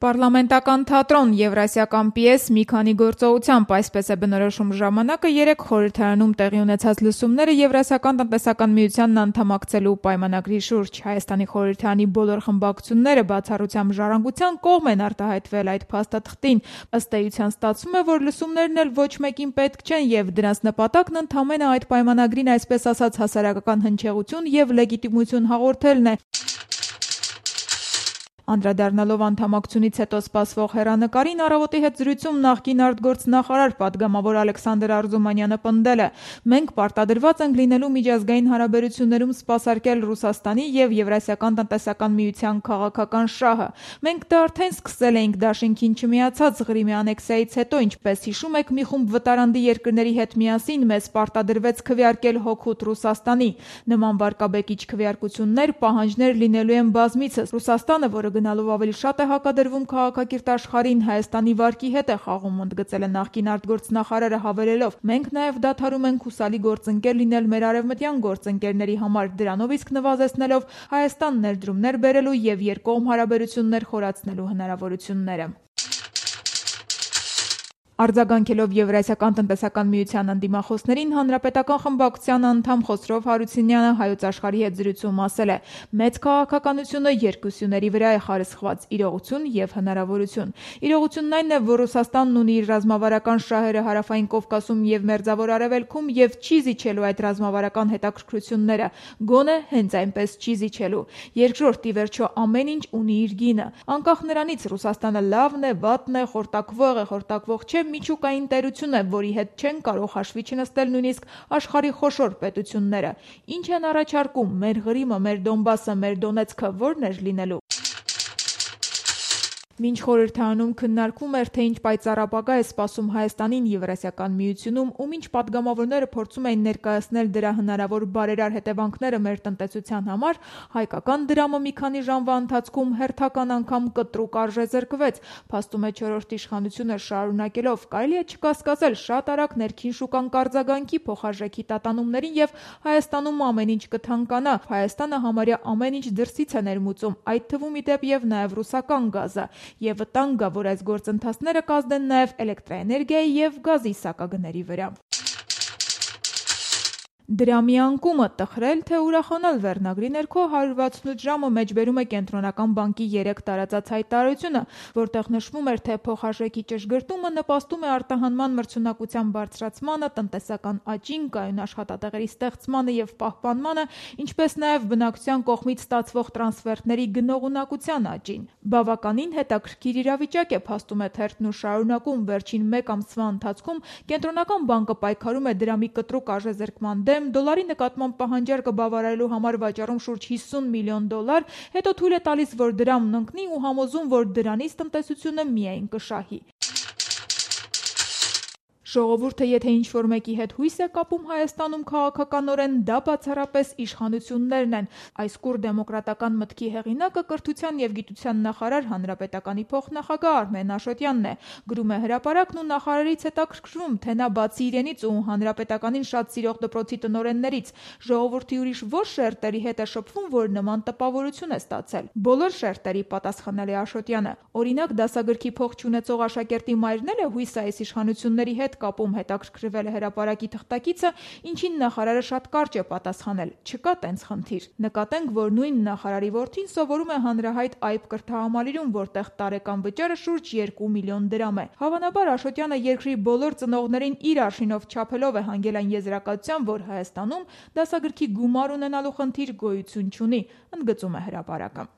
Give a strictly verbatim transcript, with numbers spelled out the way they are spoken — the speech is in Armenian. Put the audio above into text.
Պարլամենտական թատրոն, եվրասիական պիես, մի քանի գործողությամբ, այսպես է բնորոշում ժամանակը երեկ խորհրդարանում տեղի ունեցած լսումները Եվրասիական տնտեսական միությանն անդամակցելու պայմանագրի շուրջ։ Հայաստանի խորհրդարանի բոլոր խմբակցությունները բացառությամբ Ժառանգության կողմ են արտահայտվել այդ փաստաթղթին։ Ըստ էության ստացվում է, որ լսումներն էլ ոչ մեկին պետք չեն եւ դրանց նպատակն ընդամենը այդ պայմանագրին այսպես ասած հասարակական հնչեղություն եւ լեգիտիմություն հաղորդելն է։ Անդրադառնալով անդամակցությունից հետո սպասվող հեռանկարին, «Առավոտի» հետ զրույցում նախկին արտգործնախարար պատգամավոր Ալեքսանդր Արզումանյանը պնդել է. «Մենք պարտադրված ենք լինելու միջազգային հարաբերություններում սպասարկել Ռուսաստանի եւ Եվրասիական տնտեսական միության քաղաքական շահը։ Մենք դա արդեն սկսել էինք դաշինքին չմիացած Ղրիմի անեքսիայից հետո, ինչպես հիշում եք, մի խումբ վտարանդի երկրների հետ միասին մեզ պարտադրվեց քվեարկել հօգուտ Ռուսաստանի։ Նման վարկաբեկիչ քվեարկություններ, պահանջներ լինելու են բազմիցս։ Ռուսաստանը, որը գնալով ավելի շատ է հակադրվում քաղաքակիրթ աշխարհին, Հայաստանի վարկի հետ է խաղում», ընդգծել է նախկին արտգործնախարարը, հավելելով. «Մենք նաև դադարում ենք հուսալի գործընկեր լինել մեր արևմտյան գործընկերների համար, դրանով իսկ նվազեցնելով Հայաստան ներդրումներ բերելու եւ երկկողմ հարաբերություններ խորացնելու հնարավորությունները»։ Արձագանքելով Եվրասիական տնտեսական միության ընդդիմախոսներին, Հանրապետական խմբակցության անդամ Խոսրով Հարությունյանը Հայոց Աշխարհի հետ զրույցում ասել է. «Մեծ քաղաքականությունը երկուսյուների վրա է խարսխված՝ իրողություն եւ հնարավորություն։ Իրողությունն այն է, որ Ռուսաստանն ունի իր ռազմավարական շահերը Հարավային Կովկասում եւ Մերձավոր Արևելքում եւ չի զիջելու այդ ռազմավարական հետաքրքրությունները, գոնե հենց այնպես չի զիջելու։ Երկրորդ, ի վերջո, ամեն ինչ ունի իր գինը։ Անկախ նրանից Ռուսաստանը լավն է, վատն է, խորտակվող է, խորտակվող չէ, միջուկային տերություն է, որի հետ չեն կարող հաշվի չնստել նույնիսկ աշխարհի խոշոր պետությունները։ Ինչ են առաջարկում՝ մեր Ղրիմը, մեր Դոնբասը, մեր Դոնեցկը ո՞րն էր լինելու»։ Մինչ խորհրդարանում քննարկվում էր, թե ինչ պայծառ ապագա է սպասում Հայաստանին Եվրասիական միությունում, ու մինչ պատգամավորները փորձում էին ներկայացնել դրա հնարավոր բարերար հետևանքները մեր տնտեսության համար, հայկական դրամը մի քանի ժամվա ընթացքում հերթական անգամ կտրուկ արժեզրկվեց։ Փաստում է չորրորդ իշխանությունը շարունակելով. «Կարելի է չկասկածել, շատ արագ ներքին շուկան կարձագանքի փոխարժեքի տատանումներին եւ Հայաստանում ամեն ինչ կթանկանա։ Հայաստանը համարյա ամեն ինչ դրսից է ներմուծում, այդ թվում ի դեպ եւ նաեւ ռուսական գազը։ Եվ վտանգ կա, որ այս գործընթացները կազդեն նաև էլեկտրաէներգիայի եւ գազի սակագների վրա»։ «Դրամի անկումը՝ տխրել, թե ուրախանալ» վերնագրի ներքո հարյուր վաթսունութ ժամը մեջբերում է Կենտրոնական բանկի երեկ տարածած հայտարարությունը, որտեղ նշվում էր, թե փոխարժեքի ճշգրտումը նպաստում է արտահանման մրցունակության բարձրացմանը, տնտեսական աճին, կայուն աշխատատեղերի ստեղծմանը եւ պահպանմանը, ինչպես նաեւ բնակչության կողմից ստացվող տրանսֆերտների գնողունակության աճին։ Բավականին հետաքրքիր իրավիճակ է, փաստում է թերթն ու շարունակում. «Վերջին մեկ ամսվա ընթացքում Կենտրոնական բանկը պայքարում է դրամի կտրուկ արժեզրկման դեմ, դոլարի նկատմամբ պահանջարկը բավարարելու համար վաճառում շուրջ հիսուն միլիոն դոլար, հետո թույլ է տալիս, որ դրամն ընկնի ու համոզում, որ դրանից տնտեսությունը միայն կշահի։ Ժողովուրդը եթե ինչ-որ մեկի հետ հույս է կապում Հայաստանում քաղաքականորեն, դա բացառապես իշխանություններն են»։ Այս կուռ դեմոկրատական մտքի հեղինակը կրթության եւ գիտության նախարար, Հանրապետականի փոխնախագահ Արմեն Աշոտյանն է։ Գրում է Հրապարակն ու նախարարից հետաքրքրվում, թե նա բացի իրենից ու Հանրապետականին շատ սիրող դպրոցի տնօրեններից, ժողովրդի ուրիշ ո՞ր շերտերի հետ է շփվում, որ նման տպավորություն է ստացել։ «Բոլոր շերտերի», պատասխանել է Աշոտյանը։ Օրինակ, դասագրքի փող չունեցող աշակերտի մայրն էլ է հույս այս իշխանությունների հետ կապում, հետաքրքրվել է Հրապարակի թղթակիցը, ինչին նախարարը շատ կարճ է պատասխանել. «Չկա տենց խնդիր»։ Նկատենք, որ նույն նախարարի որդին սովորում է հանրահայտ Այբ կրթահամալիրում, որտեղ տարեկան վճարը շուրջ երկու միլիոն դրամ է։ Հավանաբար Աշոտյանը երկրի բոլոր ծնողներին իր արշինով չափելով է հանգել այն եզրակացության, որ Հայաստանում դասագրքի գումար ունենալու խնդիր գոյություն չունի, ընդգծում է Հրապարակը։